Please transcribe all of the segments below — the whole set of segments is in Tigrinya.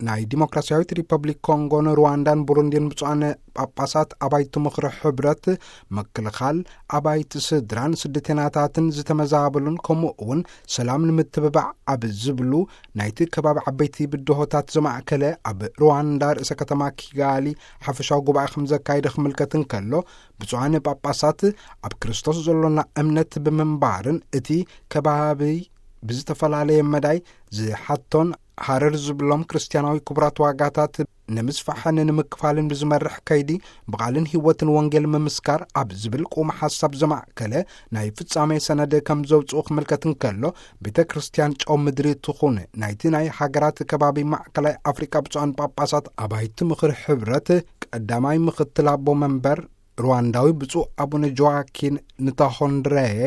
ናይ ዲሞክራሲያዊት ሪፐብሊክ ኮንጎን ሩዋንዳን ቡሩንዲን ብፁዓን ጳጳሳት ኣባይቲ ምኽሪ ሕብረት፣ ምክልኻል ኣባይቲ ስድራን ስደተኛታትን ዝተመዛበሉን፣ ከምኡ እውን ሰላም ንምትብባዕ ኣብ ዝብሉ ናይቲ ከባቢ ዓበይቲ ብድሆታት ዘማእከለ ኣብ ሩዋንዳ ርእሰ ከተማ ኪጋሊ ሓፈሻዊ ጉባኤ ከም ዘካየደ ክምልከት እንከሎ፣ ብፁዓን ጳጳሳት ኣብ ክርስቶስ ዘሎና እምነት ብምንባርን እቲ ከባቢ ብዝተፈላለየ መዳይ ዝሓቶን ሃረር ዝብሎም ክርስትያናዊ ክቡራት ዋጋታት ንምስፋሕን ንምክፋልን ብዝመርሕ ከይዲ ብቓልን ህይወትን ወንጌል ምምስካር ኣብ ዝብል ቁም ሓሳብ ዘማእከለ ናይ ፍጻሜ ሰነድ ከም ዘውፅኡ ክምልከት እንከሎ፣ ቤተ ክርስቲያን ጨው ምድሪ ትኹን ናይቲ ናይ ሃገራት ከባቢ ማእከላይ ኣፍሪቃ ብፁዓን ጳጳሳት ኣባይቲ ምኽሪ ሕብረት ቀዳማይ ምኽትል ኣቦ መንበር ሩዋንዳዊ ብፁዕ ኣቡነ ጆዋኪን ንታሆንድረየ፣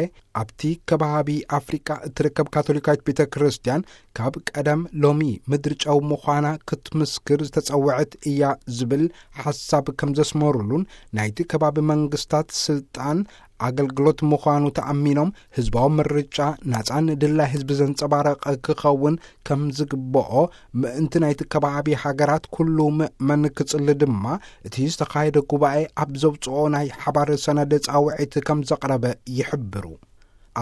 ኣብቲ ከባቢ ኣፍሪቃ እትርከብ ካቶሊካዊት ቤተ ክርስቲያን ካብ ቀደም ሎሚ ምድሪ ጨው ምዃና ክትምስክር ዝተጸውዐት እያ ዝብል ሓሳብ ከም ዘስመሩሉን፣ ናይቲ ከባቢ መንግስታት ስልጣን ኣገልግሎት ምዃኑ ተኣሚኖም፣ ህዝባዊ ምርጫ ናጻን ድላይ ህዝቢ ዘንጸባረቐ ክኸውን ከም ዝግብኦ፣ ምእንቲ ናይቲ ከባቢ ሃገራት ኩሉ ምእመን ክጽሊ ድማ፣ እቲ ዝተኻየደ ጉባኤ ኣብ ዘውጽኦ ናይ ሓባር ሰነድ ጻውዒት ከም ዘቕረበ ይሕብሩ።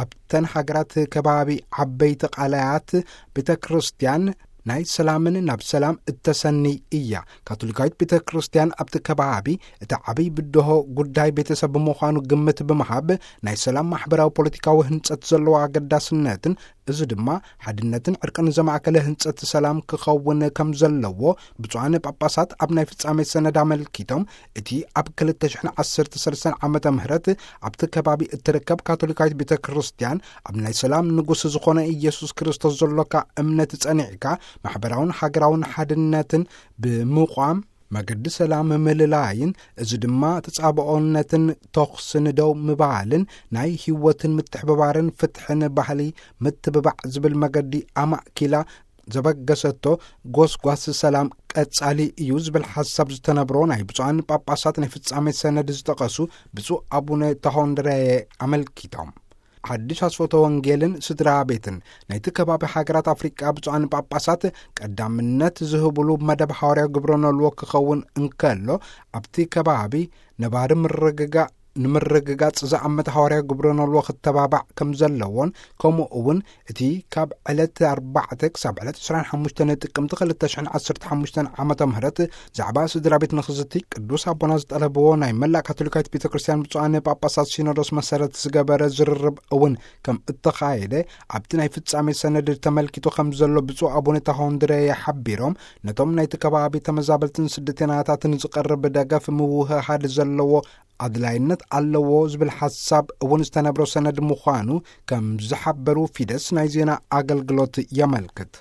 ኣብተን ሃገራት ከባቢ ዓበይቲ ቃላያት ቤተ ክርስቲያን ናይ ሰላምን ናብ ሰላም እተሰኒ እያ። ካቶሊካዊት ቤተ ክርስቲያን ኣብቲ ከባቢ እቲ ዓብይ ብድሆ ጉዳይ ቤተሰብ ብምዃኑ ግምት ብምሃብ፣ ናይ ሰላም ማሕበራዊ ፖለቲካዊ ህንጸት ዘለዎ ኣገዳስነትን፣ እዚ ድማ ሓድነትን ዕርቅን ዘማእከለ ህንጸት ሰላም ክኸውን ከም ዘለዎ ብፁዓን ጳጳሳት ኣብ ናይ ፍጻሜ ሰነድ ኣመልኪቶም፣ እቲ ኣብ ክልተ ሽሕን ዓሰርተ ሰለስተን ዓመተ ምህረት ኣብቲ ከባቢ እትርከብ ካቶሊካዊት ቤተ ክርስቲያን፣ ኣብ ናይ ሰላም ንጉስ ዝኾነ ኢየሱስ ክርስቶስ ዘሎካ እምነት ጸኒዕካ፣ ማሕበራውን ሃገራውን ሓድነትን ብምቋም፣ መገዲ ሰላም ምልላይን፣ እዚ ድማ ተጻብኦነትን ተኹስን ደው ምባልን፣ ናይ ህይወትን ምትሕብባርን ፍትሕን ባህሊ ምትብባዕ ዝብል መገዲ ኣማእኪላ ዘበገሰቶ ጎስጓስ ሰላም ቀጻሊ እዩ ዝብል ሓሳብ ዝተነብሮ ናይ ብፁዓን ጳጳሳት ናይ ፍጻሜ ሰነድ ዝጠቐሱ ብፁዕ ኣቡነ ተሆንድረየ ኣመልኪቶም፣ ሓድሽ ኣስፈቶ ወንጌልን ስድራ ቤትን ናይቲ ከባቢ ሃገራት ኣፍሪቃ ብፁዓን ጳጳሳት ቀዳምነት ዝህብሉ መደብ ሃዋርያ ግብረ ነልዎ ክኸውን እንከሎ፣ ኣብቲ ከባቢ ነባሪ ምርግጋእ ንምርግጋጽ ዝኣመተ ሃዋርያ ግብረ ነልዎ ክተባባዕ ከም ዘለዎን፣ ከምኡ እውን እቲ ካብ ዕለት ኣርባዕተ ክሳብ ዕለት ዕስራን ሓሙሽተን ጥቅምቲ ክልተ ሽሕን ዓሰርተ ሓሙሽተን ዓመተ ምህረት ዛዕባ ስድራ ቤት ንኽዝቲ ቅዱስ ኣቦና ዝጠለብዎ ናይ መላእ ካቶሊካዊት ቤተ ክርስቲያን ብፁዓን ጳጳሳት ሲኖዶስ መሰረት ዝገበረ ዝርርብ እውን ከም እተኻየደ ኣብቲ ናይ ፍጻሜ ሰነድ ተመልኪቱ ከም ዘሎ ብፁዕ ኣቡነ ታሆንድረየ ሓቢሮም፣ ነቶም ናይቲ ከባቢ ተመዛበልትን ስደተኛታትን ዝቐርብ ደገፍ ምውህሃድ ዘለዎ ኣድላይነት ኣለዎ ዝብል ሓሳብ እውን ዝተነብሮ ሰነድ ምዃኑ ከም ዝሓበሩ ፊደስ ናይ ዜና ኣገልግሎት የመልክት።